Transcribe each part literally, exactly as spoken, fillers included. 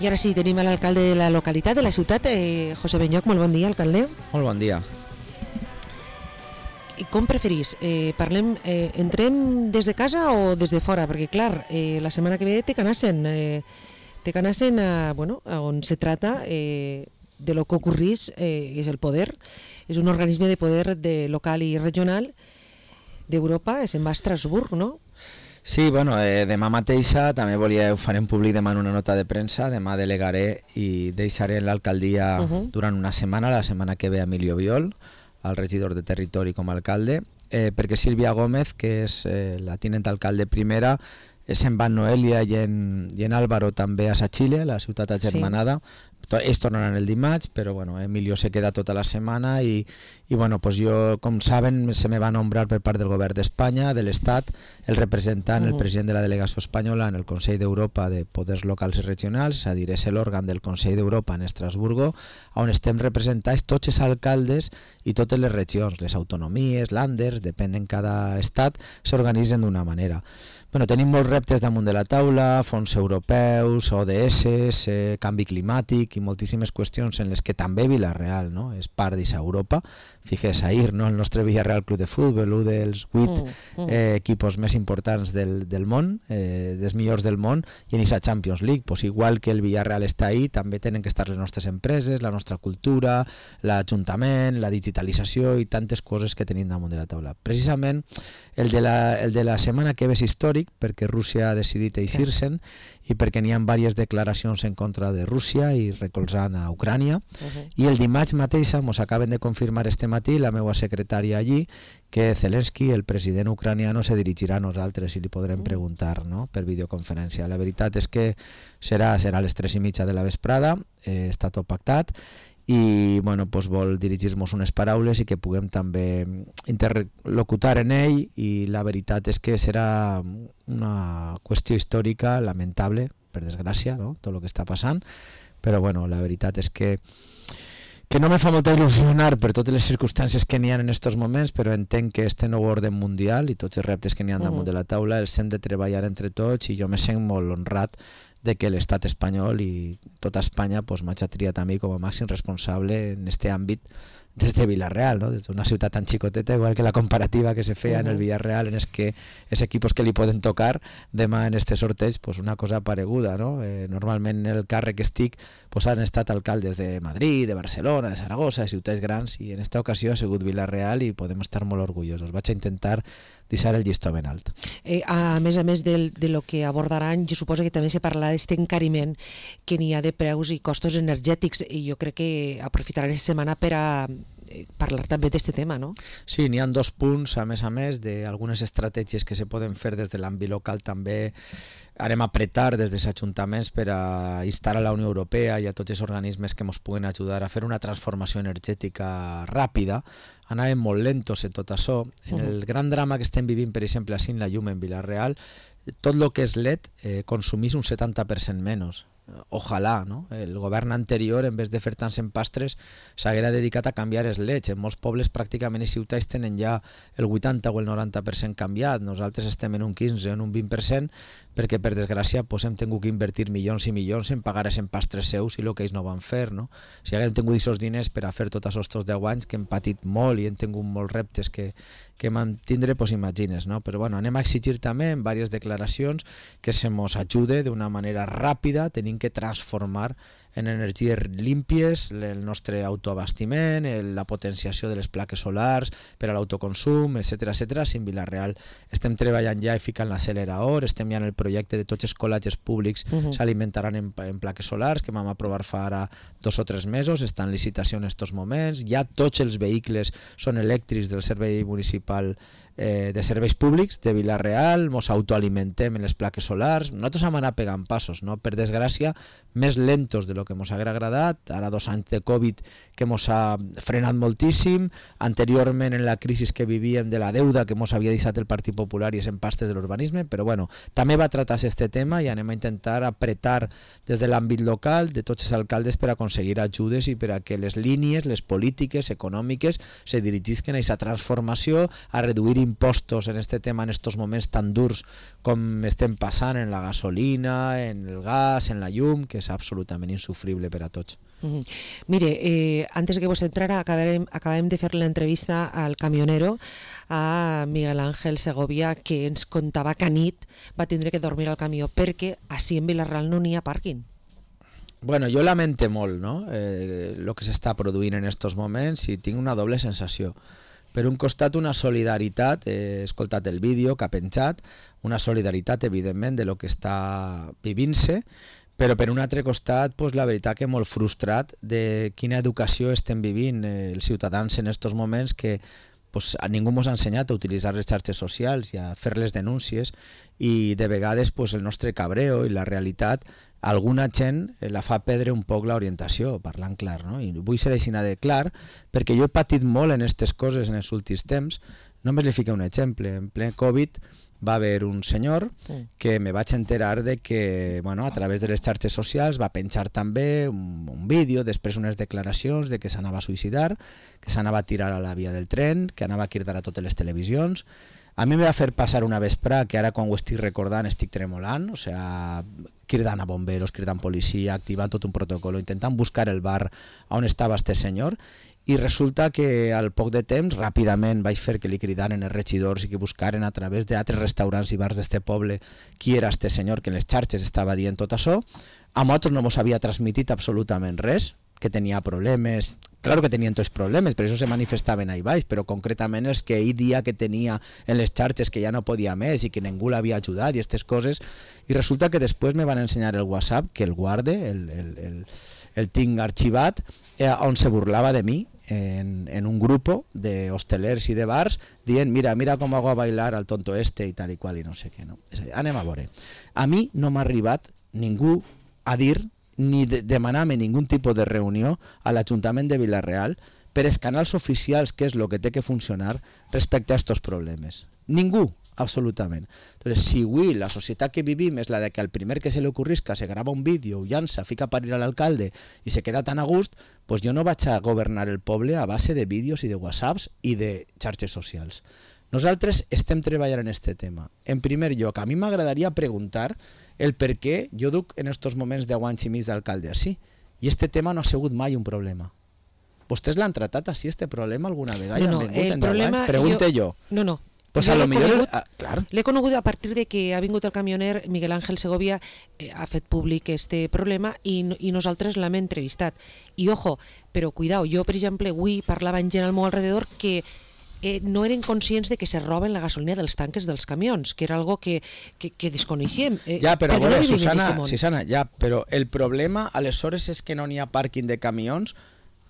I ara sí, tenim l'alcalde de la localitat, de la ciutat, eh, José Benyoch. Molt bon dia, alcalde. Molt bon dia. I com preferís? Eh, parlem, eh, entrem des de casa o des de fora? Perquè, clar, eh, la setmana que ve té que anar-se'n, eh, té que anar-se'n a, bueno, a on se trata eh, de lo que ocorrís, eh, és el poder. És un organisme de poder de local i regional d'Europa, se'n va a Estrasburg, no? Sí, bueno, eh, demà mateixa també volia, ho farem públic demà en una nota de premsa, demà delegaré i deixaré l'alcaldia uh -huh. durant una setmana, la setmana que ve Emilio Biol, el regidor de territori com a alcalde, eh, perquè Sílvia Gómez, que és eh, la tinent alcalde primera, eh, se'n va en Noelia i en, i en Álvaro també a Sa Chile, la ciutat agermanada. Sí. Ells tornaran el dimarts, però bueno, Emilio se queda tota la setmana i, i bueno, pues jo, com saben, se me va nombrar per part del govern d'Espanya, de l'Estat, el representant, uh -huh. el president de la delegació espanyola en el Consell d'Europa de Poders Locals i Regionals, és a dir, és l'òrgan del Consell d'Europa en Estrasburgo, on estem representats tots els alcaldes i totes les regions, les autonomies, landers, depèn en cada estat, s'organitzen d'una manera. Bueno, tenim molts reptes damunt de la taula, fons europeus, O D S, eh, canvi climàtic i moltíssimes qüestions en les que també Vila-real, no?, és part d'aquesta Europa. Fixes ahir, no?, el nostre Villarreal Club de Futbol, un dels vuit mm, mm. eh, equipos més importants del, del món, eh, dels millors del món, i en aquesta Champions League, pues igual que el Villarreal està ahí, també tenen que estar les nostres empreses, la nostra cultura, l'Ajuntament, la digitalització i tantes coses que tenim damunt de la taula. Precisament el de la, el de la setmana que ve és històric, perquè Rússia ha decidit eixir-se'n i perquè n'hi ha diverses declaracions en contra de Rússia i recolzant a Ucrània. Uh-huh. I el dimarts mateix ens acaben de confirmar este matí la meva secretària allí que Zelensky, el president ucraniano, se dirigirà a nosaltres i li podrem preguntar, no?, per videoconferència. La veritat és que serà, serà a les tres i mitja de la vesprada, eh, està tot pactat, i bueno, pues vol dirigir-nos unes paraules i que puguem també interlocutar en ell, i la veritat és que serà una qüestió històrica lamentable, per desgràcia, no?, tot el que està passant, però bueno, la veritat és que que no me fa molta il·lusionar per totes les circumstàncies que n'hi ha en aquests moments, però entenc que este nou ordre mundial i tots els reptes que n'hi ha damunt de la taula els hem de treballar entre tots, i jo me sent molt honrat de que l'estat espanyol i tota Espanya pues, m'hagi triat a mi com a màxim responsable en aquest àmbit des de Vila-real, no?, des d'una ciutat tan xicoteta, igual que la comparativa que se feia uh-huh. en el Villarreal, en els que els equipos que li poden tocar demà en este sorteig, pues una cosa pareguda, no? Eh, normalment en el càrrec que estic pues han estat alcaldes de Madrid, de Barcelona, de Saragossa, de ciutats grans, i en esta ocasió ha sigut Vila-real i podem estar molt orgullosos. Vaig a intentar deixar el llistó ben alt. Eh, a més a més del, de lo que abordaran, jo suposo que també se parlarà d'aquest encariment que n'hi ha de preus i costos energètics, i jo crec que aprofitaran aquesta setmana per a parlar també d'aquest tema, no? Sí, n'hi ha dos punts, a més a més, d'algunes estratègies que se poden fer des de l'àmbit local. També anem a apretar des dels ajuntaments per a instar a la Unió Europea i a tots els organismes que ens puguen ajudar a fer una transformació energètica ràpida. Anàvem molt lentos en tot això. En el gran drama que estem vivint, per exemple, així en la llum en Vila-real, tot el que és L E D eh, consumís un setanta per cent menys. Ojalà, no? El govern anterior, en vez de fer tants empastres, s'haguera dedicat a canviar els L E Ds. En molts pobles, pràcticament, i ciutats tenen ja el vuitanta o el noranta per cent canviat. Nosaltres estem en un quinze o en un vint per cent, perquè, per desgràcia, pues, hem tingut que invertir milions i milions en pagar els empastres seus i el que ells no van fer, no? Si haguem tingut aquests diners per a fer tots aquests deu anys que hem patit molt i hem tingut molts reptes que, que mantindre, pues imagines, no? Però bueno, anem a exigir també en diverses declaracions que se mos ajude d'una manera ràpida, tenim que transformar en energies límpies el nostre autoabastiment, la potenciació de les plaques solars per a l'autoconsum, etcètera, etcètera. Si en Vila-real estem treballant ja i ficant l'accelerador, estem ja en el projecte de tots els col·legis públics uh-huh. s'alimentaran en, en plaques solars, que vam aprovar fa ara dos o tres mesos, està en licitació en aquests moments, ja tots els vehicles són elèctrics del servei municipal eh, de serveis públics de Vila-real, mos autoalimentem en les plaques solars. Nosaltres hem anat pegant passos, no? Per desgràcia, més lentos de lo el que ens haguera agradat, ara dos anys de Covid que ens ha frenat moltíssim, anteriorment en la crisi que vivíem de la deuda que ens havia deixat el Partit Popular i els empastes de l'urbanisme, però bueno, també va tractar-se este tema i anem a intentar apretar des de l'àmbit local de tots els alcaldes per aconseguir ajudes i per a que les línies, les polítiques econòmiques se dirigisquen a aquesta transformació, a reduir impostos en este tema en estos moments tan durs com estem passant en la gasolina, en el gas, en la llum, que és absolutament insufrible per a tots. Mm-hmm. Mire, eh, antes de que vos entrara, acabem, acabem de fer l'entrevista al camionero, a Miguel Ángel Segovia, que ens contava que a nit va tindre que dormir al camió perquè així en Vila-real no n'hi ha pàrquing. Bueno, jo lamente molt, no?, eh, el que s'està produint en estos moments i tinc una doble sensació. Per un costat, una solidaritat, he escoltat el vídeo que ha penjat, una solidaritat, evidentment, de lo que està vivint-se, però per un altre costat, pues, la veritat que molt frustrat de quina educació estem vivint eh, els ciutadans en estos moments que pues, a ningú ens ha ensenyat a utilitzar les xarxes socials i a fer les denúncies i de vegades pues, el nostre cabreo i la realitat alguna gent la fa perdre un poc l'orientació, parlant clar, no? I vull ser així de clar perquè jo he patit molt en aquestes coses en els últims temps. Només li fico un exemple. En ple Covid va haver un senyor que me vaig enterar de que bueno, a través de les xarxes socials va penjar també un, un vídeo, després unes declaracions de que s'anava a suïcidar, que s'anava a tirar a la via del tren, que anava a cridar a totes les televisions. A mi me va fer passar una vespre que ara quan ho estic recordant estic tremolant, o sea, cridant a bomberos, cridant policia, activant tot un protocolo, intentant buscar el bar on estava este senyor. I resulta que al poc de temps ràpidament vaig fer que li cridaren els regidors i que buscaren a través d'altres restaurants i bars d'este poble qui era este senyor que en les xarxes estava dient tot això. A nosaltres no ens havia transmitit absolutament res, que tenia problemes, claro que tenien tots problemes, per això se manifestaven ahí baix, però concretament els que ell dia que tenia en les xarxes que ja no podia més i que ningú l'havia ajudat i aquestes coses, i resulta que després me van ensenyar el WhatsApp, que el guarde, el, el, el, el tinc arxivat, eh, on se burlava de mi, En, en un grupo de hostelers i de bars dient mira, mira com hago a bailar al tonto este i tal i qual i no sé què. No? És a dir, anem a veure. A mi no m'ha arribat ningú a dir ni de, demanar-me ningun tipus de reunió a l'Ajuntament de Vila-real per els canals oficials, que és el que té que funcionar respecte a aquests problemes. Ningú, absolutament. Entonces, si avui la societat que vivim és la de que al primer que se li ocorrisca se grava un vídeo, ho llança, fica a parir a l'alcalde i se queda tan a gust, pues jo no vaig a governar el poble a base de vídeos i de whatsapps i de xarxes socials. Nosaltres estem treballant en aquest tema. En primer lloc, a mi m'agradaria preguntar el per què jo duc en aquests moments deu anys i mig d'alcalde així, i aquest tema no ha sigut mai un problema. Vostès l'han tratat així, este problema, alguna vegada? No, no, el problema... Pregunte jo. No, no. Pues a lo millor... Ah, clar. L'he conegut a partir de que ha vingut el camioner Miguel Ángel Segovia, eh, ha fet públic este problema i, i nosaltres l'hem entrevistat. I ojo, però cuidao, jo per exemple avui parlava amb gent al meu alrededor que eh, no eren conscients de que se roben la gasolina dels tanques dels camions, que era algo que, que, que desconeixíem. Eh, ja, però a veure, no Susana, Susana, ja, però el problema aleshores és que no n'hi ha pàrquing de camions,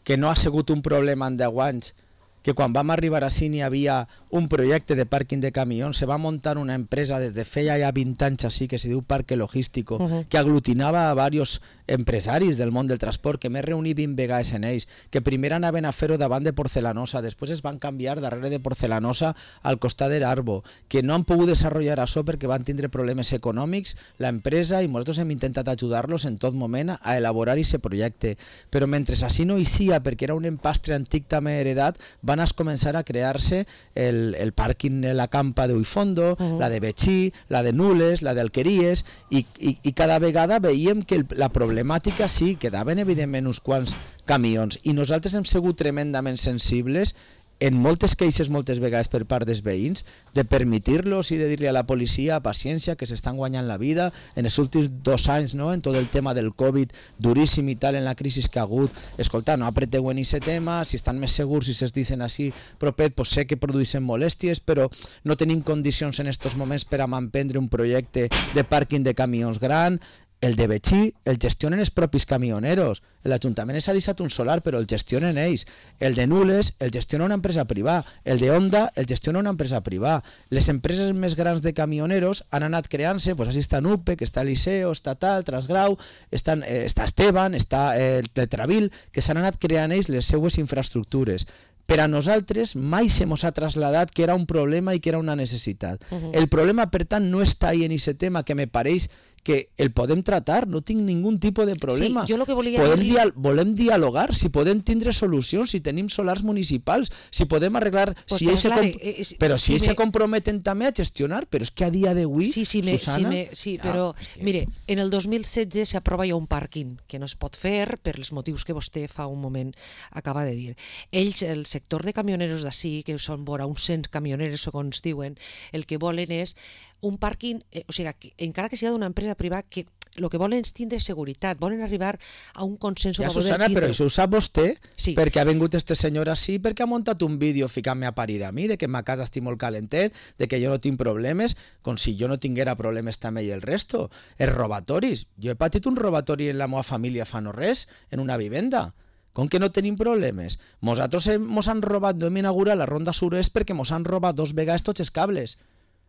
que no ha sigut un problema en deu anys, que quan vam arribar així n'hi havia un projecte de pàrquing de camions, se va muntar una empresa des de feia ja vint anys així, que se diu Parque Logístico, uh-huh. que aglutinava a diversos empresaris del món del transport, que m'he reunit vint vegades en ells, que primer anaven a fer-ho davant de Porcelanosa, després es van canviar darrere de Porcelanosa al costat de l'Arbo, que no han pogut desenvolupar això perquè van tindre problemes econòmics, l'empresa, i nosaltres hem intentat ajudar-los en tot moment a elaborar aquest projecte. Però mentre així no hi sia, perquè era un empastre antic també heredat, van a començar a crear-se el, el pàrquing de la Campa de Uifondo, uh-huh. la de Betxí, la de Nules, la d'Alqueries, i, i, i cada vegada veiem que el, la problemàtica sí, quedaven evidentment uns quants camions, i nosaltres hem sigut tremendament sensibles en moltes queixes moltes vegades per part dels veïns de permitir-los i de dir-li a la policia paciència, que s'estan guanyant la vida en els últims dos anys, no? En tot el tema del Covid duríssim i tal, en la crisi que ha hagut. Escolta, no apreteu en aquest tema, si estan més segurs, si es dicen així propet, pues sé que produeixen molèsties, però no tenim condicions en aquests moments per a manprendre un projecte de pàrquing de camions gran. El de Betxí el gestionen els propis camioneros. L'Ajuntament s'ha deixat un solar, però el gestionen ells. El de Nules el gestiona una empresa privada. El de Honda el gestiona una empresa privada. Les empreses més grans de camioneros han anat creant-se, pues així està Nupec, està Liceo, està Tal, Transgrau, estan, eh, està Esteban, està eh, el Tetravil, que s'han anat creant ells les seues infraestructures. Per a nosaltres mai se mos ha traslladat que era un problema i que era una necessitat. Uh-huh. El problema, per tant, no està ahí en aquest tema, que me pareix que el podem tratar, no tinc ningun tipus de problema. Sí, jo lo que volia podem dir... dia volem dialogar, si podem tindre solucions, si tenim solars municipals, si podem arreglar... Pues si ells clar, se eh, eh, però si si ells me... se comprometen també a gestionar, però és que a dia d'avui, sí, sí, me, Susana... Sí, me, sí ah, però, que... mire, en el dos mil setze s'aprova ja un pàrquing que no es pot fer per els motius que vostè fa un moment acaba de dir. Ells, el sector de camioneros d'ací, que són vora uns cent camioneros, segons diuen, el que volen és un pàrquing, eh, o sigui, que, encara que sigui d'una empresa privada, que el que volen és tindre seguretat, volen arribar a un consens. Ja, Susana, però això ho sap vostè, sí. perquè ha vingut este senyor així, perquè ha muntat un vídeo ficant-me a parir a mi, de que ma casa estic molt calentet, de que jo no tinc problemes, com si jo no tinguera problemes també i el resto. Els robatoris. Jo he patit un robatori en la meva família fa no res, en una vivenda. Com que no tenim problemes? Nosaltres mos han robat, no hem inaugurat la ronda sud-est perquè mos han robat dos vegades tots els cables.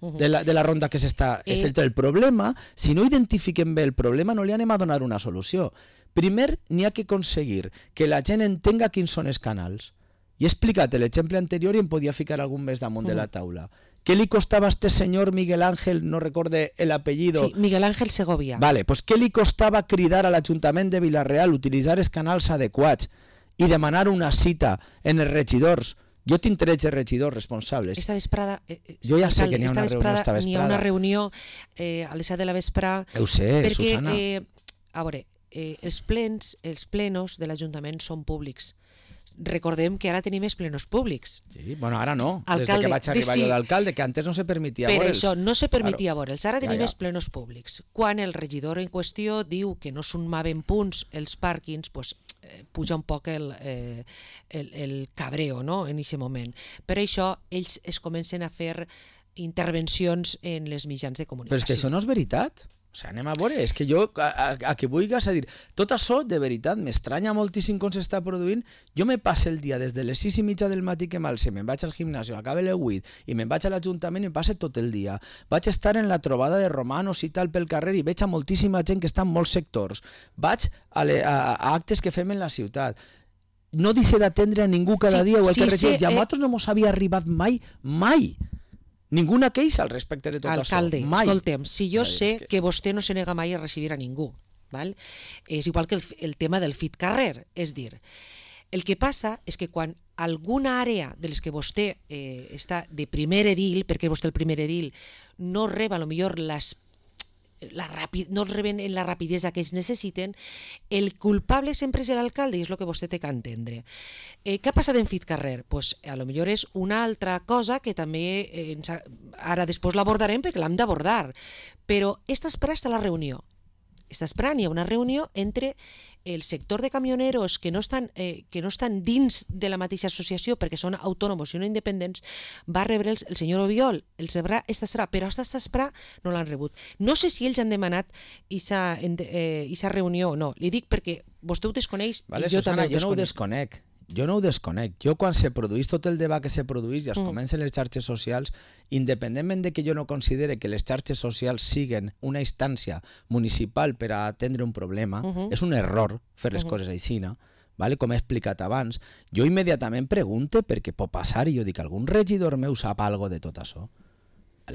De la, de la ronda que s'està... Eh... El, el problema, si no identifiquem bé el problema, no li anem a donar una solució. Primer, n'hi ha que aconseguir que la gent entenga quins són els canals. I he explicat l'exemple anterior i em podia ficar algun més damunt uh -huh. de la taula. Què li costava a este senyor Miguel Ángel, no recorde el apellido? Sí, Miguel Ángel Segovia. Vale, pues què li costava cridar a l'Ajuntament de Vila-real, utilitzar els canals adequats i demanar una cita en els regidors? Jo tinc tretze regidors responsables. Esta vesprada... Eh, jo ja sé que n'hi ha una reunió esta vesprada. N'hi ha una reunió eh, a les set de la vesprada... Ho sé, perquè, Susana. Eh, a veure, eh, els plens, els plenos de l'Ajuntament són públics. Recordem que ara tenim els plenos públics. Sí, bueno, ara no. Alcalde, Des de que vaig arribar sí. jo d'alcalde, que antes no se permetia veure'ls. Per veure'ls. això, no se permetia claro. veure'ls. Ara tenim ja, ja. els plenos públics. Quan el regidor en qüestió diu que no sumaven punts els pàrquings, pues, eh, puja un poc el, eh, el, el cabreo, no?, en aquest moment. Per això ells es comencen a fer intervencions en les mitjans de comunicació. Però és que això no és veritat. O sigui, anem a veure, és que jo, a, a, a que vulguis a dir, tot això, de veritat, m'estranya moltíssim com s'està produint. Jo me passo el dia des de les sis i mitja del matí que m'alce, me'n vaig al gimnàs, acabe les vuit i me'n vaig a l'Ajuntament i em passe tot el dia. Vaig estar en la trobada de romanos i tal pel carrer i veig a moltíssima gent que està en molts sectors. Vaig a, le, a, a actes que fem en la ciutat. No deixe d'atendre a ningú cada sí, dia o el sí, que regeix. sí, I a eh... nosaltres no mos havia arribat mai, mai, ninguna queixa al respecte de tot Alcalde, això. Mai. Escoltem, si jo Mai, sé que... que vostè no se nega mai a recibir a ningú, val? És igual que el, el tema del fit carrer, és dir, el que passa és que quan alguna àrea de les que vostè eh, està de primer edil, perquè vostè el primer edil, no reba a lo millor les La rapid, no reben en la rapidesa que ells necessiten, el culpable sempre és l'alcalde i és el que vostè té que entendre. Eh, què ha passat en Fit Carrer? Pues, a lo millor és una altra cosa que també eh, ens ha, ara després l'abordarem perquè l'hem d'abordar, però està esperant està la reunió. Està esperant, hi ha una reunió entre el sector de camioneros que no estan, eh, que no estan dins de la mateixa associació perquè són autònoms i no independents, va rebre el, el senyor Obiol, el rebrà esta serà, però esta serà no l'han rebut. No sé si ells han demanat aquesta eh, reunió o no, li dic perquè vostè ho desconeix vale, i jo Susana, també ho jo no ho desconec. Jo no ho desconec. Jo quan se produís tot el debat que se produís i es mm. comencen les xarxes socials, independentment de que jo no considere que les xarxes socials siguen una instància municipal per a atendre un problema, uh -huh. és un error fer les uh -huh. coses així, no? Vale? Com he explicat abans, jo immediatament pregunte perquè pot passar i jo dic, algun regidor meu sap algo de tot això?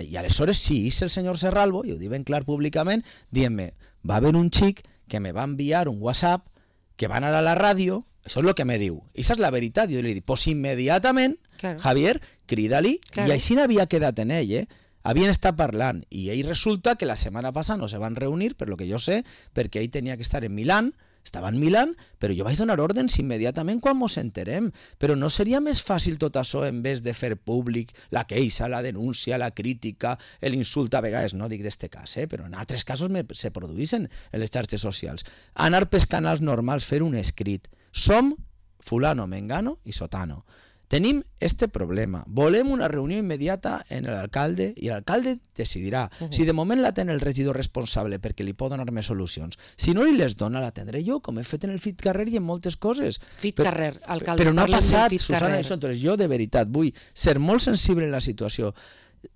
I aleshores sí, és el senyor Serralbo, i ho dic ben clar públicament, dient-me, va haver un xic que me va enviar un WhatsApp que va anar a la ràdio. Això és el que me diu. I això és la veritat. Jo li dic, pues immediatament, claro. Javier, crida-li. Claro. I així n'havia quedat en ell, eh? Havien estat parlant. I ell resulta que la setmana passada no se van reunir, per lo que jo sé, perquè ell tenia que estar en Milán, estava en Milán, però jo vaig donar ordens immediatament quan mos enterem. Però no seria més fàcil tot això en vez de fer públic la queixa, la denúncia, la crítica, l'insult a vegades, no dic d'este cas, eh? Però en altres casos me, se produïssin en les xarxes socials. Anar pels canals normals, fer un escrit. Som fulano, mengano i sotano. tenim este problema, volem una reunió immediata en l'alcalde i l'alcalde decidirà. Uh -huh. Si de moment la ten el regidor responsable perquè li pot donar més solucions, si no li les dona la tindré jo, com he fet en el Fit Carrer i en moltes coses. Fit Carrer, alcalde. Però no ha passat, Susana, això. Entonces, jo de veritat vull ser molt sensible en la situació.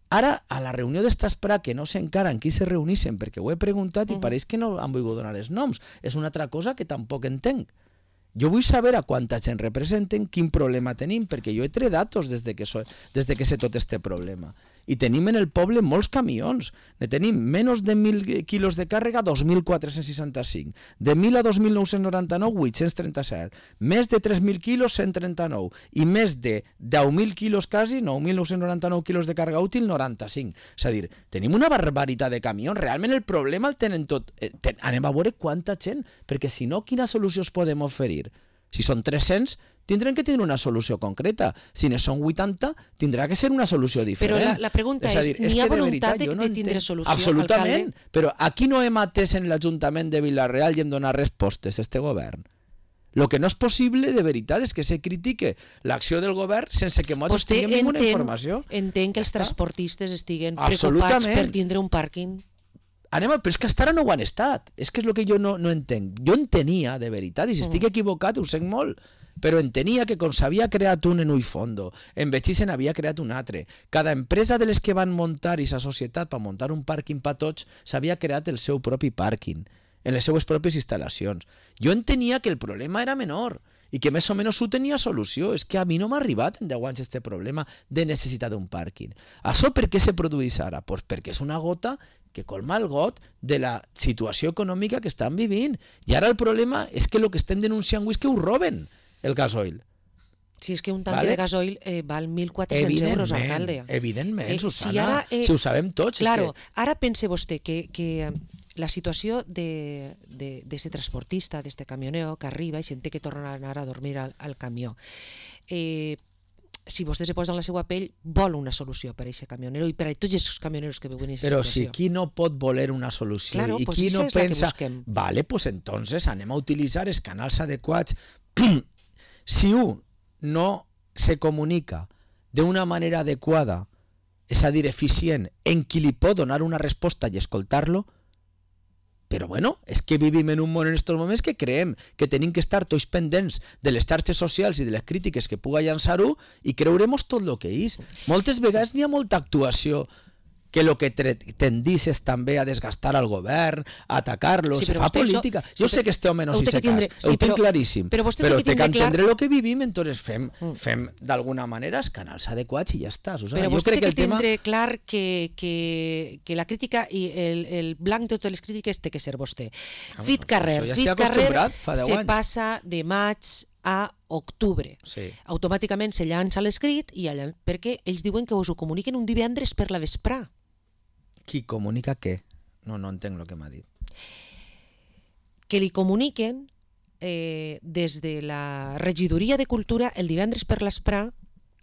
Ara, a la reunió d'Estasprà, que no sé encara en qui se reunissen, perquè ho he preguntat i uh -huh. pareix que no han volgut donar els noms. És una altra cosa que tampoc entenc. Jo vull saber a quanta gent representen, quin problema tenim, perquè jo he tret datos des de que, so, des de que sé tot este problema. I tenim en el poble molts camions. Ne tenim menys de mil quilos de càrrega, dos mil quatre-cents seixanta-cinc. De mil a dos mil nou-cents noranta-nou, vuit-cents trenta-set. Més de tres mil quilos, cent trenta-nou. I més de deu mil quilos quasi, nou mil nou-cents noranta-nou quilos de càrrega útil, noranta-cinc. És a dir, tenim una barbaritat de camions. Realment el problema el tenen tot. Eh, ten, anem a veure quanta gent, perquè si no, quina solució es podem oferir? Si són tres-cents, tindrem que tenir una solució concreta. Si ne són vuitanta, tindrà que ser una solució diferent. Però la, la pregunta és, és dir, n'hi ha voluntat de, de tindre solució, absolutament, alcalde? Però aquí no hem atès en l'Ajuntament de Vila-real i hem donat respostes a este govern. El que no és possible, de veritat, és que se critique l'acció del govern sense que nosaltres tinguem ninguna informació. Entenc que els transportistes estiguen preocupats per tindre un pàrquing. Anem a, però és que fins ara no ho han estat. És que és el que jo no, no entenc. Jo entenia, de veritat, i si estic equivocat ho sé molt, però entenia que com s'havia creat un en Uifondo, en Betxí n'havia creat un altre. Cada empresa de les que van muntar i sa societat per muntar un pàrquing per tots s'havia creat el seu propi pàrquing, en les seues pròpies instal·lacions. Jo entenia que el problema era menor i que més o menys ho tenia solució. És que a mi no m'ha arribat en deu anys este problema de necessitat d'un pàrquing. Això per què se produeix ara? Pues perquè és una gota que colma el got de la situació econòmica que estan vivint. I ara el problema és que el que estem denunciant és que ho roben, el gasoil. Si és que un tanque vale? de gasoil eh, val mil quatre-cents euros, alcalde. Evidentment, eh, Susana, si, ara, eh, si ho sabem tots. Claro, és que... ara pense vostè que, que la situació de, de, de ese transportista, d'este camionero que arriba i sent que torna a anar a dormir al, al camió, eh, si vostè se posa en la seva pell, vol una solució per a aquest camionero i per a tots els camioneros que viuen en aquesta situació. situació. Però si qui no pot voler una solució claro, i pues qui no pensa... Vale, pues entonces anem a utilitzar els canals adequats. Si un no se comunica d'una manera adequada, és a dir, eficient, en qui li pot donar una resposta i escoltar-lo, però bueno, és que vivim en un món en aquests moments que creiem que tenim que estar tots pendents de les xarxes socials i de les crítiques que puga llançar-ho i creurem tot el que és. Moltes vegades n'hi ha molta actuació que el que tendís és també a desgastar al govern, a atacar-lo, sí, se fa política. Això, jo sí, sé que este home no s'hi se cas, sí, ho tinc claríssim, però, però té que entendre el que vivim, entonces fem, mm. fem d'alguna manera els canals adequats i ja està. Susana. Però jo vostè crec té que, que el tindre tema... clar que, que, que la crítica i el, el blanc de totes les crítiques té que ser vostè. Ah, Fit Carrer, ja Fit Carrer se anys. passa de maig a octubre. Sí. Automàticament se llança l'escrit i allà, perquè ells diuen que us ho comuniquen un divendres per la vesprà. Qui comunica què? No, no entenc el que m'ha dit. Que li comuniquen eh, des de la regidoria de cultura el divendres per l'esprà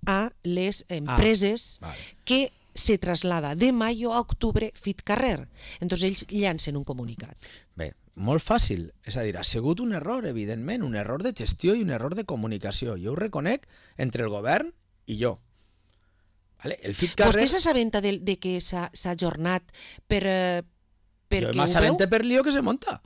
a les empreses ah, vale. que se traslada de maio a octubre Fit Carrer. Entonces ells llancen un comunicat. Bé, molt fàcil. És a dir, ha sigut un error, evidentment, un error de gestió i un error de comunicació. Jo ho reconec entre el govern i jo. Vale, el Fit Carrer... Vostè s'assabenta de, de que s'ha ajornat per, eh, perquè jo m'assabenta per lío que se monta.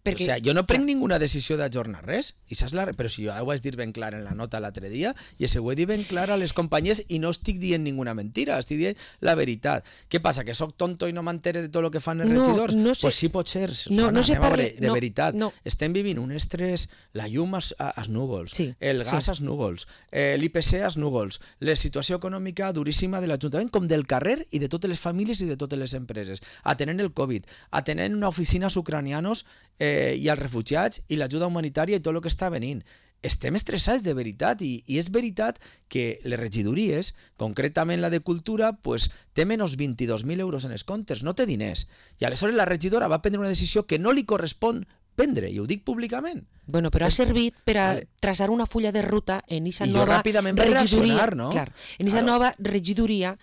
Perquè... O sea, jo no prenc ninguna decisió d'ajornar res, i saps la... però si jo ho vaig dir ben clar en la nota l'altre dia, i se ho he dit ben clar a les companyies i no estic dient ninguna mentira, estic dient la veritat. Què passa, que sóc tonto i no m'entere de tot el que fan els no, regidors? No sé... Pues sí pot ser, no, no se parle... veure, de no, veritat. No. Estem vivint un estrès, la llum als, als núvols, sí, el gas sí. als núvols, eh, l'I P C als núvols, la situació econòmica duríssima de l'Ajuntament, com del carrer i de totes les famílies i de totes les empreses, atenent el Covid, atenent una oficina als ucranianos eh, i als refugiats i l'ajuda humanitària i tot el que està venint. Estem estressats de veritat i, i és veritat que les regidories, concretament la de Cultura, pues, té menys vint-i-dos mil euros en els comptes, no té diners. I aleshores la regidora va prendre una decisió que no li correspon prendre, i ho dic públicament. Bueno, però ha servit per a vale. traçar una fulla de ruta en aquesta nova regidoria, no? clar, en aquesta nova regidoria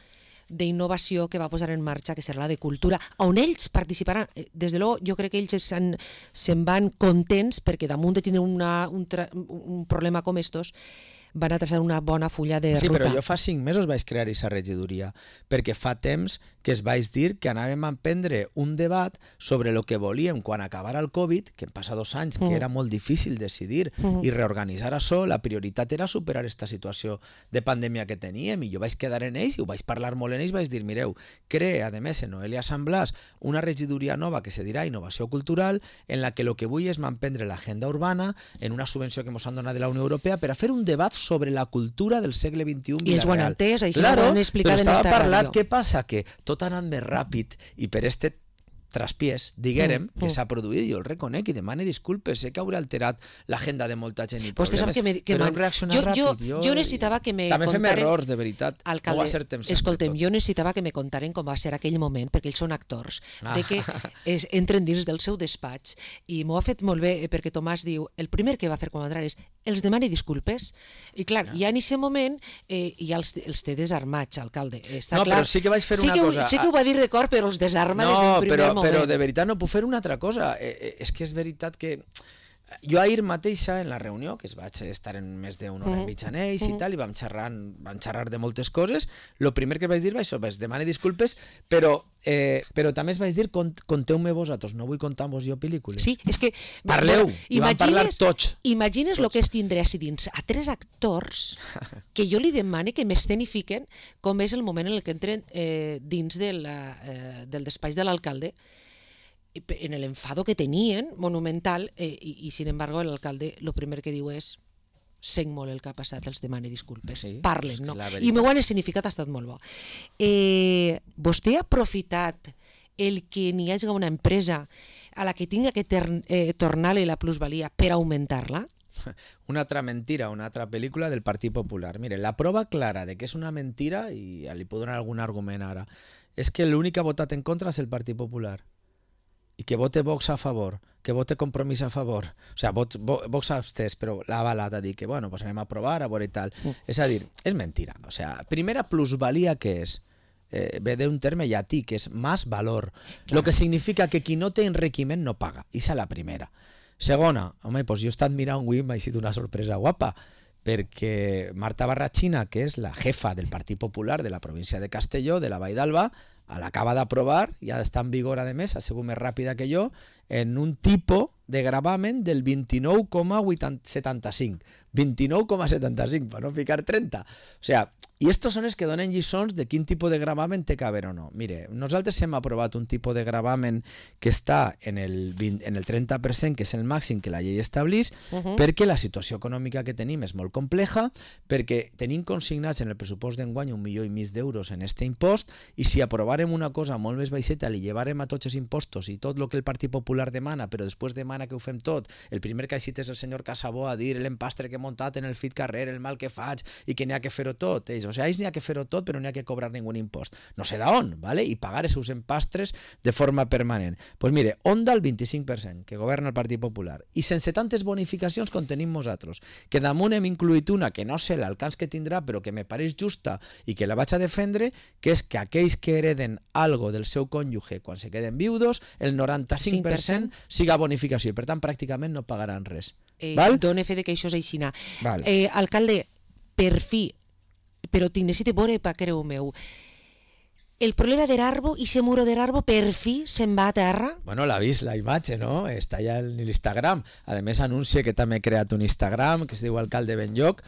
d'innovació que va posar en marxa, que serà la de Cultura, on ells participaran. Des de l'O, jo crec que ells se'n, se'n van contents perquè damunt de tindre una, un, tra, un problema com estos, van a traçar una bona fulla de sí, ruta. Però jo fa cinc mesos vaig crear aquesta regidoria, perquè fa temps que es vaig dir que anàvem a emprendre un debat sobre el que volíem quan acabara el Covid, que en passa dos anys, mm. que era molt difícil decidir mm. i reorganitzar això, la prioritat era superar aquesta situació de pandèmia que teníem, i jo vaig quedar en ells, i ho vaig parlar molt en ells, vaig dir, mireu, crea, a més, en Noelia Sant Blas, una regidoria nova que se dirà Innovació Cultural, en la que el que vull és m'emprendre l'agenda urbana en una subvenció que ens han donat de la Unió Europea per a fer un debat sobre la cultura del segle vint-i-u I els ho han entès, això claro, ho han explicat en esta esta parlat, ràdio. Què passa? Que tot ha anat més ràpid i per este traspiés, diguérem, mm, que mm. s'ha produït, jo el reconec i demane disculpes, sé que hauré alterat l'agenda de molta gent i pues problemes, que me, que però man... hem reaccionat jo, ràpid. Jo, jo necessitava que me també contaren... fem errors, de veritat. Alcalde, no va ser temps escoltem, jo necessitava que me contaren com va ser aquell moment, perquè ells són actors, ah. de que es, entren dins del seu despatx, i m'ho ha fet molt bé, perquè Tomàs diu, el primer que va fer quan va entrar és, els demane disculpes, i clar, ah. ja en aquest moment eh, ja els, els té desarmats, alcalde. Està no, clar. Però sí que vaig fer sí una que, cosa... Sí que ho va dir de cor, però els desarma no, des del primer però, moment. Però de veritat no puc fer una altra cosa. Eh, eh, és que és veritat que jo ahir mateixa en la reunió, que es vaig estar en més d'una hora mm. i mitja en ells mm. i tal, i vam xerrar, vam xerrar de moltes coses, el primer que vaig dir va això, vaig demane disculpes, però Eh, però també es vaig dir, cont, conteu-me vosaltres, no vull contar-vos jo pel·lícules. Sí, és que... Parleu, bueno, i van parlar tots. Imagines el tots. que és tindre així dins a tres actors que jo li demane que m'escenifiquen com és el moment en el que entren eh, dins de la, eh, del despatx de l'alcalde, en l'enfado que tenien, monumental, eh, i, i sin embargo l'alcalde el primer que diu és sent molt el que ha passat, els demane disculpes. Sí, parlen, no? I m'ho han escenificat, ha estat molt bo. Eh, vostè ha aprofitat el que n'hi hagi una empresa a la que tinga que ter- eh, tornar-li la plusvalia per augmentar-la? Una altra mentira, una altra pel·lícula del Partit Popular. Mire, la prova clara de que és una mentira, i li puc donar algun argument ara, és que l'únic que ha votat en contra és el Partit Popular. I que vote Vox a favor, que vote Compromís a favor. O sigui, Vox, Vox abstès, però l'ha avalat a dir que, bueno, pues anem a provar, a veure i tal. Mm. És a dir, és mentira. O sigui, primera plusvalia que és, eh, ve d'un terme llatí, que és más valor. Lo que significa que qui no té enriquiment no paga. Esa és la primera. Segona, home, pues jo he estat mirant avui, m'ha sigut una sorpresa guapa, perquè Marta Barrachina, que és la jefa del Partit Popular de la província de Castelló, de la Vall d'Alba, l'acaba d'aprovar, ja està en vigor, a més, ha sigut més ràpida que jo, en un tipus de gravamen del vint-i-nou coma setanta-cinc. vint-i-nou coma setanta-cinc, per no ficar trenta. O sigui, i estos són els que donen lliçons de quin tipus de gravamen té que haver o no. Mire, nosaltres hem aprovat un tipus de gravamen que està en el, vint, en el trenta per cent, que és el màxim que la llei estableix, uh-huh. perquè la situació econòmica que tenim és molt compleja, perquè tenim consignats en el pressupost d'enguany un milió i mig d'euros en este impost, i si aprovarem una cosa molt més baixeta, li llevarem a tots els impostos i tot el que el Partit Popular demana, però després demana que ho fem tot, el primer que ha cit és el senyor Casabó a dir l'empastre que he muntat en el fit carrer, el mal que faig i que n'hi ha que fer-ho tot. Ells, o sigui, ells n'hi ha que fer-ho tot, però n'hi ha que cobrar ningú impost. No sé d'on, ¿vale? I pagar els seus empastres de forma permanent. Doncs pues mire, Onda el vint-i-cinc per cent, que governa el Partit Popular, i sense tantes bonificacions com tenim nosaltres, que damunt hem incluït una que no sé l'alcance que tindrà, però que me pareix justa i que la vaig a defendre, que és que aquells que hereden algo del seu cònjuge quan se queden viudos, el noranta-cinc per cent siga bonificació, i per tant pràcticament no pagaran res. Eh, Dóna fe de que això és així. Eh, alcalde, per fi, però tinc necessito veure per creu meu, el problema d'Erarbo i ese muro d'Erarbo per fi se'n va a terra? Bueno, l'ha vist la imatge, no? Està ja en l'Instagram. A més, anuncia que també ha creat un Instagram que es diu Alcalde Benlloc.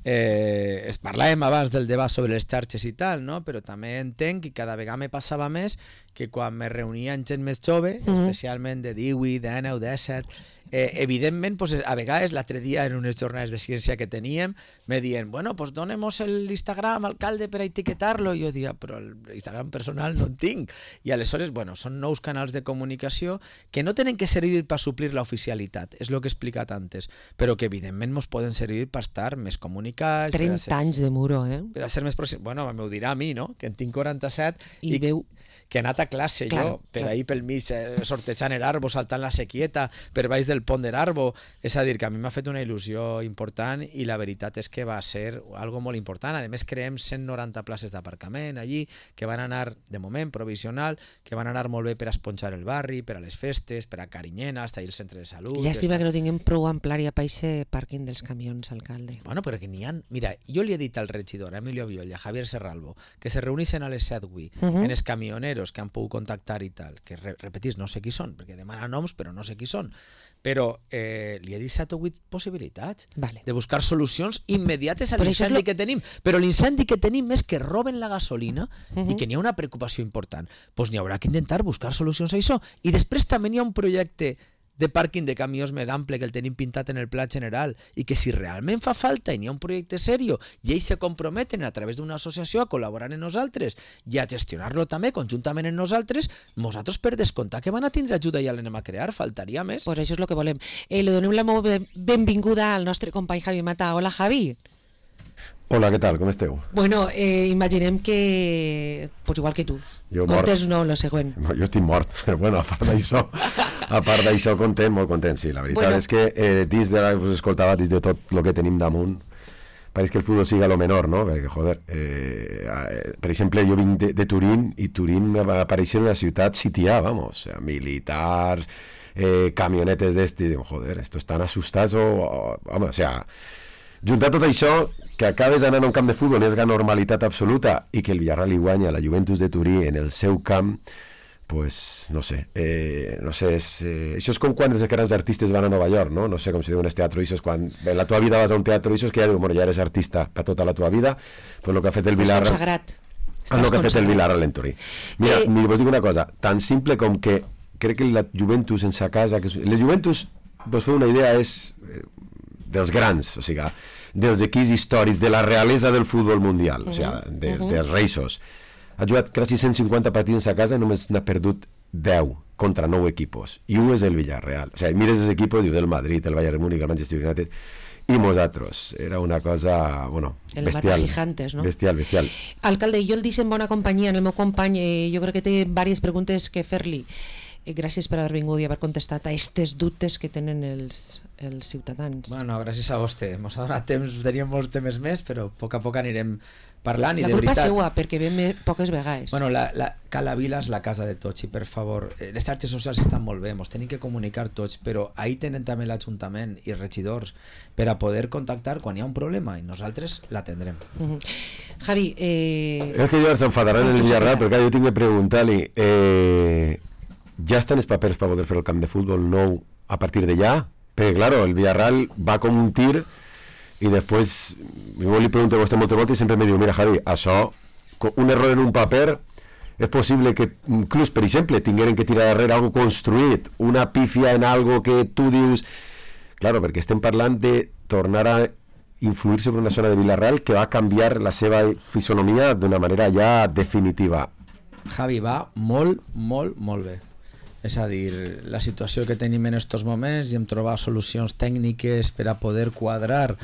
Eh, parlàvem abans del debat sobre les xarxes i tal, no? Però també entenc que cada vegada me passava més que quan me reunia amb gent més jove, mm-hmm. especialment de divuit, de dinou, de disset, eh, evidentment, pues, a vegades l'altre dia en unes jornades de ciència que teníem me diuen, bueno, pues donemos el Instagram alcalde per a etiquetar-lo, i jo dia, però l'Instagram personal no en tinc, i aleshores, bueno, són nous canals de comunicació que no tenen que servir per suplir l'oficialitat, és el que he explicat antes, però que evidentment ens poden servir per estar més comunicats, trenta ser, anys de muro, eh? Per a ser més pròxim. Bueno, m'ho dirà a mi, no? Que en tinc quaranta-set i, i veu que he anat a a classe, claro, jo, per claro. ahir pel mig, eh, sortejant el arbo, saltant la sequieta, per baix del pont de l'arbo. És a dir, que a mi m'ha fet una il·lusió important i la veritat és que va ser algo molt important. A més, creem cent noranta places d'aparcament allí, que van anar, de moment, provisional, que van anar molt bé per a esponjar el barri, per a les festes, per a Carinyena, hasta ahir el centre de salut. Llàstima que no tinguem prou amplària per aquest pàrquing dels camions, alcalde. Bueno, però que n'hi ha... Mira, jo li he dit al regidor, a Emilio Violl i a Javier Serralvo, que se reuneixen a les set avui, uh -huh. en els camioneros que han pogut contactar i tal, que re repetís, no sé qui són, perquè demanen noms, però no sé qui són. Però eh, li he dit set o vuit possibilitats vale. de buscar solucions immediates a Però l'incendi lo... que tenim. Però l'incendi que tenim és que roben la gasolina uh -huh. i que n'hi ha una preocupació important. Doncs n'hi haurà que intentar buscar solucions a això. I després també n'hi ha un projecte de pàrquing de camions més ample que el tenim pintat en el Pla General i que si realment fa falta i n'hi ha un projecte serio i ells se comprometen a través d'una associació a col·laborar amb nosaltres i a gestionar-lo també conjuntament amb nosaltres, nosaltres per descomptar que van a tindre ajuda i ja l'anem a crear, faltaria més. Pues això és el que volem. Eh, li donem la molt benvinguda al nostre company Javi Mata. Hola, Javi. Hola, què tal? Com esteu? Bueno, eh, imaginem que... Pues igual que tu. Jo Contes no, lo següent. Jo estic mort, però bueno, a part d'això, a part d'això, content, molt content, sí. La veritat bueno. és que eh, dins de, us escoltava, dins de tot el que tenim damunt, pareix que el futbol siga lo menor, no? Perquè, joder, eh, eh, per exemple, jo vinc de, de Turín i Turín va aparèixer una ciutat sitiada, vamos, o sea, militars, eh, camionetes d'esti, digo, joder, estos están asustats o, o vamos, o sea, juntar tot això, que acabes anant a un camp de futbol és la normalitat absoluta i que el Villarreal li guanya a la Juventus de Turí en el seu camp, pues no sé, eh, no sé, és, eh, això és com quan els grans artistes van a Nova York, no? No sé com si diuen els teatres, això és quan en la tua vida vas a un teatre, això és que ja diu, bueno, ja eres artista per tota la tua vida, pues el que ha fet el Villarreal... Estàs consagrat. El que ha fet el Villarreal en Turí. Mira, eh... mira, vos dic una cosa, tan simple com que crec que la Juventus en sa casa, que la Juventus, vos feu una idea, és eh, dels grans, o sigui, dels equips històrics, de la realesa del futbol mundial, uh -huh. o sigui, de, uh -huh. dels reisos. Ha jugat quasi cent cinquanta partits a casa i només n'ha perdut deu contra nou equipos. I un és el Villarreal. O sigui, mires els equipos, diu del Madrid, el Bayern Múnich, el Manchester United, i nosaltres. Era una cosa, bueno, el bestial. Gigantes, no? Bestial, bestial. Alcalde, jo el deixo en bona companyia, en el meu company, eh, jo crec que té diverses preguntes que fer-li. Gràcies per haver vingut i haver contestat a aquestes dubtes que tenen els, els ciutadans. Bueno, gràcies a vostè. Ens ha donat temps, teníem molts temes més, però a poc a poc anirem parlant. I la de culpa veritat, és seua, perquè ve poques vegades. Bueno, la, la, Cala Vila és la casa de tots i, per favor, les xarxes socials estan molt bé, ens tenim que comunicar tots, però ahí tenen també l'Ajuntament i regidors per a poder contactar quan hi ha un problema i nosaltres l'atendrem. Uh -huh. Javi, eh... És que jo s'enfadaran en el Villarreal, perquè jo tinc que preguntar-li... Eh... ja estan els papers per poder fer el camp de futbol nou a partir de ja? Perquè, claro, el Villarreal va com un tir i després, jo li pregunto a vostè moltes voltes i sempre me diu, mira Javi, això, un error en un paper, és possible que inclús, per exemple, tingueren que tirar darrere algo construït, una pífia en algo que tu dius... Claro, perquè estem parlant de tornar a influir sobre una zona de Villarreal que va a canviar la seva fisonomia d'una manera ja definitiva. Javi, va molt, molt, molt bé. És a dir, la situació que tenim en aquests moments i hem trobat solucions tècniques per a poder quadrar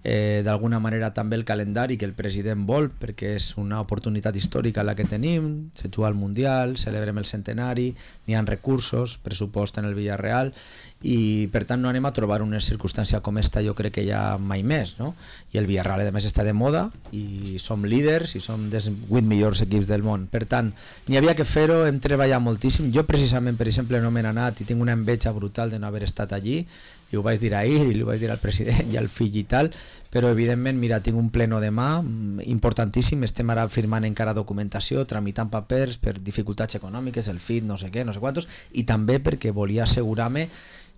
eh, d'alguna manera també el calendari que el president vol, perquè és una oportunitat històrica la que tenim, se juga al Mundial, celebrem el centenari, n'hi ha recursos, pressupost en el Villarreal, i per tant no anem a trobar una circumstància com esta, jo crec que ja mai més, no? I el Villarreal a més està de moda i som líders i som dels vuit millors equips del món, per tant n'hi havia que fer-ho, hem treballat moltíssim. Jo precisament, per exemple, no m'he anat i tinc una enveja brutal de no haver estat allí, i ho vaig dir ahir i ho vaig dir al president i al fill i tal, però evidentment, mira, tinc un pleno demà importantíssim, estem ara firmant encara documentació, tramitant papers per dificultats econòmiques, el F I T, no sé què, no sé quantos, i també perquè volia assegurar-me.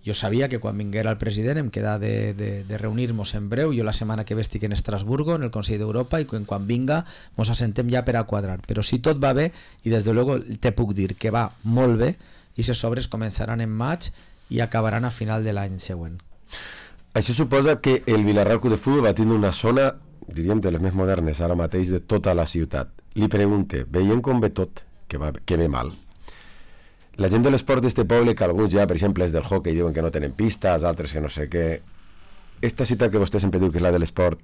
Jo sabia que quan vinguera el president em queda de, de, de reunir-nos en breu, jo la setmana que ve estic en Estrasburgo, en el Consell d'Europa, i quan, quan vinga ens assentem ja per a quadrar. Però si tot va bé, i des de luego te puc dir que va molt bé, i les obres començaran en maig i acabaran a final de l'any següent. Això suposa que el Villarreal Club de Futbol va tenir una zona, diríem, de les més modernes ara mateix de tota la ciutat. Li pregunte, veient com ve tot, que, va, que ve mal, la gent de l'esport d'este poble, que alguns ja, per exemple, és del hockey, diuen que no tenen pistes, altres que no sé què. Esta ciutat que vostè sempre diu que és la de l'esport,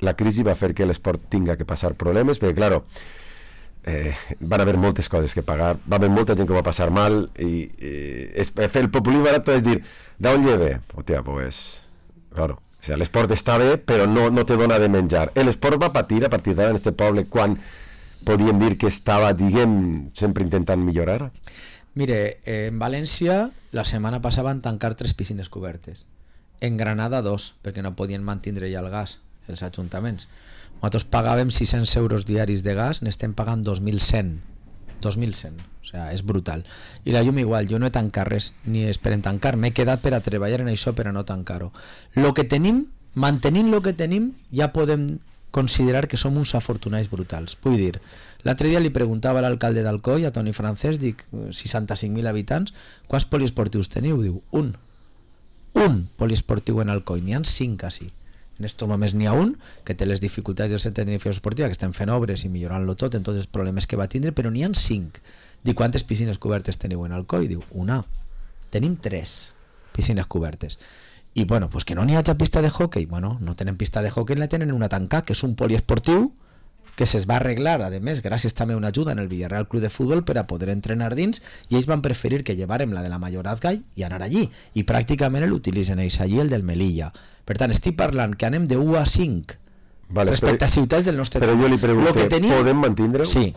la crisi va fer que l'esport tinga que passar problemes, perquè, claro, eh, van haver moltes coses que pagar, va haver molta gent que va passar mal i, i es, fer el populisme barat és dir, d'on lleve? Hòstia, pues, claro, o sea, l'esport està bé però no, no te dona de menjar. L'esport va patir a partir d'ara en este poble quan podíem dir que estava, diguem, sempre intentant millorar? Mire, eh, en València la setmana passada van tancar tres piscines cobertes. En Granada dos, perquè no podien mantindre ja el gas, els ajuntaments. Nosaltres pagàvem sis-cents euros diaris de gas, n'estem pagant dos mil cent. dos mil cent, o sea, és brutal. I la llum igual, jo no he tancat res, ni esperen tancar, m'he quedat per a treballar en això per a no tancar-ho. Lo que tenim, mantenint lo que tenim, ja podem considerar que som uns afortunats brutals. Vull dir, l'altre dia li preguntava a l'alcalde d'Alcoi, a Toni Francesc, dic, seixanta-cinc mil habitants, quants poliesportius teniu? Diu, un. Un poliesportiu en Alcoi, n'hi ha cinc així. En estos moments n'hi ha un que té les dificultats del centre de tecnificació esportiva, que estem fent obres i millorant-lo tot en tots els problemes que va tindre, però n'hi ha cinc. Dic, quantes piscines cobertes teniu en Alcoi? Diu, una. Tenim tres piscines cobertes. I bueno, pues que no n'hi hagi pista de hockey. Bueno, no tenen pista de hockey, la tenen una tancada, que és un poliesportiu que se's va arreglar, a més, gràcies també a una ajuda en el Villarreal Club de Futbol per a poder entrenar dins, i ells van preferir que llevàrem la de la Mayorazgall i anar allí, i pràcticament l'utilitzen ells allí, el del Melilla. Per tant, estic parlant que anem de u a cinc vale, respecte però, a ciutats del nostre... Però jo li pregunto, tenim... podem mantindre-ho? Sí,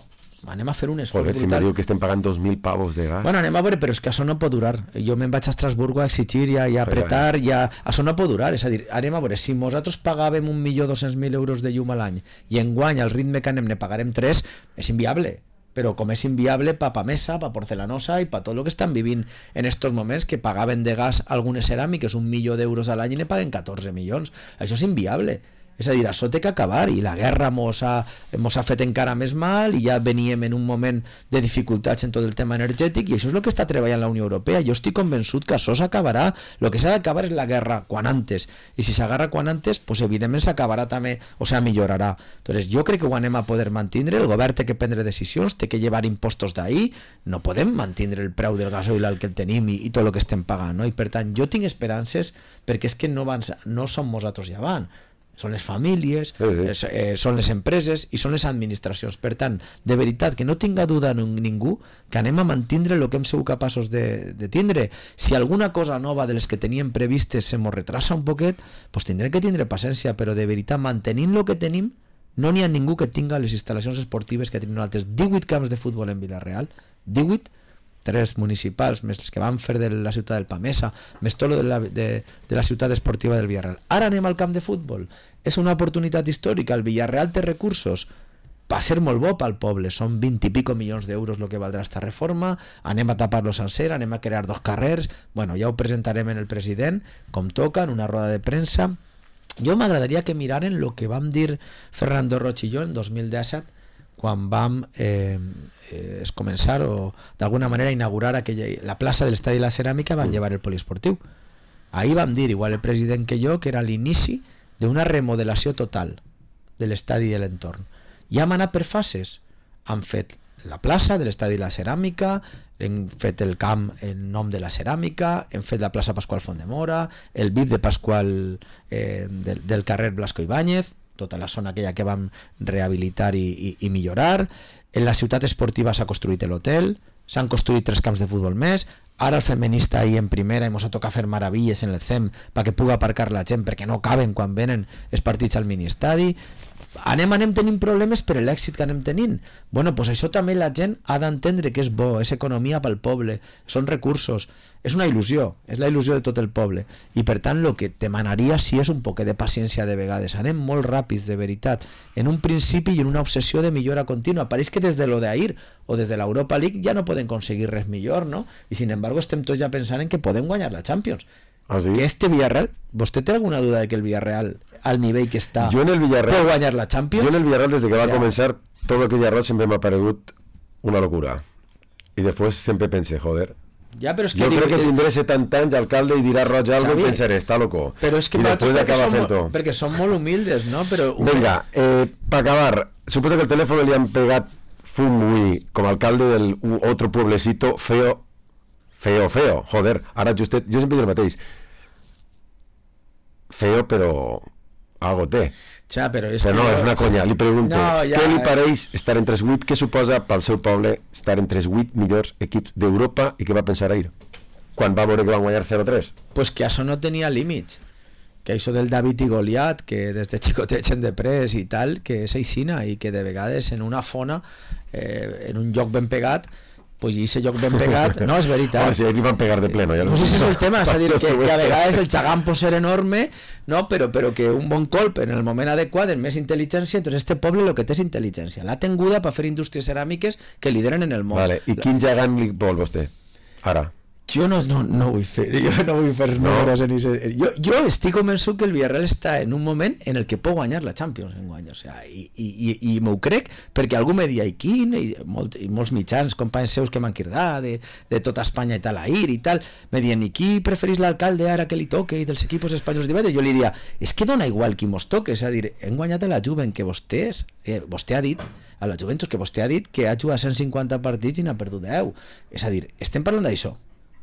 anem a fer un esforç Joder, brutal. Si me diu que estem pagant dos mil pavos de gas. Bueno, anem a veure, però és que això no pot durar. Jo me'n vaig a Estrasburgo a exigir i a, i a apretar, i a... això no pot durar. És a dir, anem a veure, si nosaltres pagàvem un milió dos-cents mil euros de llum a l'any i enguany al ritme que anem ne pagarem tres, és inviable. Però com és inviable pa Pamesa, pa Porcelanosa i pa tot el que estan vivint en estos moments, que pagaven de gas algunes ceràmiques un milió d'euros a l'any i ne paguen catorze milions. Això és inviable. És a dir, això té que acabar, i la guerra mos ha, mos ha fet encara més mal, i ja veníem en un moment de dificultats en tot el tema energètic, i això és el que està treballant la Unió Europea. Jo estic convençut que això s'acabarà. El que s'ha d'acabar és la guerra quan antes, i si s'agarra quan antes, pues evidentment s'acabarà també, o sigui, millorarà. Entonces, jo crec que ho anem a poder mantindre, el govern té que prendre decisions, té que llevar impostos d'ahir, no podem mantindre el preu del gasoil al que el tenim i, i tot el que estem pagant, no? I per tant, jo tinc esperances, perquè és que no, van, no som nosaltres ja van, són les famílies, sí, sí. Eh, són les empreses i són les administracions. Per tant, de veritat, que no tinga duda ningú que anem a mantindre el que hem sigut capaços de, de tindre. Si alguna cosa nova de les que teníem previstes se mos retrasa un poquet, pues tindrem que tindre paciència, però de veritat, mantenint el que tenim, no n'hi ha ningú que tinga les instal·lacions esportives que tenim nosaltres. divuit camps de futbol en Vila-real, divuit, tres municipals, més els que van fer de la ciutat del Pamesa, més tot de la, de, de la ciutat esportiva del Villarreal. Ara anem al camp de futbol. És una oportunitat històrica. El Villarreal té recursos. Va ser molt bo pel poble. Són vint i pico milions d'euros el que valdrà esta reforma. Anem a tapar-lo sencer, anem a crear dos carrers. Bueno, ja ho presentarem en el president, com toca, en una roda de premsa. Jo m'agradaria que miraren el que vam dir Fernando Roig i jo en dos mil disset, quan vam eh, eh, es començar o d'alguna manera inaugurar aquella, la plaça de l'Estadi de la Ceràmica, van llevar el poliesportiu. Ahir vam dir, igual el president que jo, que era l'inici d'una remodelació total de l'estadi i de l'entorn. Ja hem anat per fases. Han fet la plaça de l'Estadi de la Ceràmica, hem fet el camp en nom de la ceràmica, hem fet la plaça Pasqual Font-de-Mora, el V I P de Pasqual eh, del, del carrer Blasco Ibáñez, tota la zona aquella que vam rehabilitar i, i, i millorar. En la ciutat esportiva s'ha construït l'hotel, s'han construït tres camps de futbol més, ara el feminista ahir en primera i mos ha tocat fer meravilles en el C E M perquè pugui aparcar la gent, perquè no caben quan venen els partits al mini-estadi. Anem, anem tenint problemes per l'èxit que anem tenint. Bueno, pues això també la gent ha d'entendre que és bo, és economia pel poble, són recursos, és una il·lusió, és la il·lusió de tot el poble, i per tant el que demanaria sí és un poquet de paciència de vegades. Anem molt ràpids, de veritat, en un principi i en una obsessió de millora contínua. Pareix que des de lo d'ahir o des de l'Europa League ja no poden aconseguir res millor, no? I sin embargo estem tots ja pensant en que podem guanyar la Champions. ¿Ah, sí? Que este Villarreal, ¿vostted tiene alguna duda de que el Villarreal, al nivell que està, jo en el Villarreal, pot guanyar la Champions? Jo en el Villarreal, des de que va ja. començar, tot el que Villarreal sempre m'ha paregut una locura. I després sempre pense, joder, ja, però és que jo dic, crec que tindré setanta anys alcalde i dirà Roig algo i pensaré, està loco. Però és que i després acaba som, fent-ho. perquè som molt humildes, no? Però... Venga, eh, per acabar, suposo que el teléfono li han pegat fum avui com a alcalde del otro pueblecito feo, feo, feo, joder, ara justet, jo sempre dic el mateix, feo però algo té. Ja, però és però que no, jo... és una conya, li pregunto, no, ja, què li eh... pareix estar entre els vuit, què suposa pel seu poble estar entre els vuit millors equips d'Europa i què va pensar ahir? Quan va veure que van guanyar zero tres? Pues que això no tenia límits, que això del David i Goliat, que des de xicotets hem de pres i tal, que és aixina i que de vegades en una fona, eh, en un lloc ben pegat, pues i ese lloc ben pegat, no, és veritat. Oh, sí, aquí van pegar de pleno. Ja pues ese és el tema, és a dir, que, que a vegades el xagam pot ser enorme, no, però, però que un bon colp en el moment adequat, en més intel·ligència, entonces este poble el que té és intel·ligència, l'ha tinguda per fer indústries ceràmiques que lideren en el món. Vale. I quin gegant li vol vostè? Ara. Jo no, no, no vull fer, jo no vull fer no. números en ese, jo, jo estic convençut que el Villarreal està en un moment en el que pot guanyar la Champions en guany, o sea, i, i, i m'ho crec perquè algú me dia i quin i, molt, i molts mitjans, companys seus que m'han cridat de, de tota Espanya i tal, ahir i tal, me diuen, i qui preferís l'alcalde ara que li toque i dels equipos espanyols d'Ibèria? Jo li diria, és que dona igual qui mos toque, és a dir, hem guanyat a la Juve que vostè, eh, vostè ha dit a la Juventus que vostè ha dit que ha jugat cent cinquanta partits i n'ha perdut deu, és a dir, estem parlant d'això.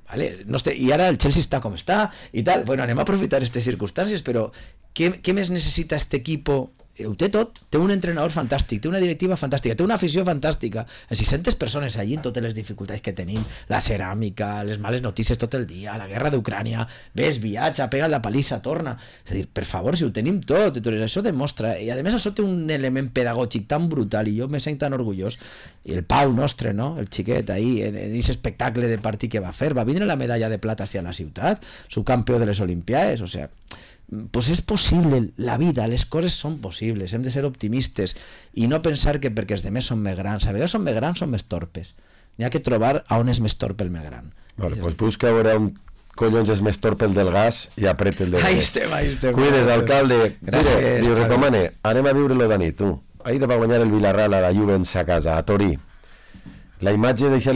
Vale? No esté, i ara el Chelsea està com està i tal, bueno, anem a aprofitar aquestes circumstàncies, però què, què més necessita este equipo? Ho té tot, té un entrenador fantàstic, té una directiva fantàstica, té una afició fantàstica, les sis-centes persones allí en totes les dificultats que tenim, la ceràmica, les males notícies tot el dia, la guerra d'Ucrània, ves, viatja, pega la palissa, torna, és a dir, per favor, si ho tenim tot, doncs això demostra, i a més això té un element pedagògic tan brutal i jo me sent tan orgullós, i el Pau nostre, no? El xiquet ahí, en aquest espectacle de partit que va fer, va vindre la medalla de plata hacia la ciutat, subcampió de les Olimpiades, o sea, pues és possible, la vida, les coses són possibles, hem de ser optimistes i no pensar que perquè els demés són més grans, a vegades són més grans, són més torpes, n'hi ha que trobar a on és més torpe el més gran. Vale, pues busca a veure on collons és més torpe el del gas i apreta el del gas. Ahí estem, ahí estem. Cuides, alcalde. Gràcies, Mire, li recomane, anem a viure-lo de nit, tu. Ahir va guanyar el Villarreal a la Juve a casa, a Torí. La imatge deixa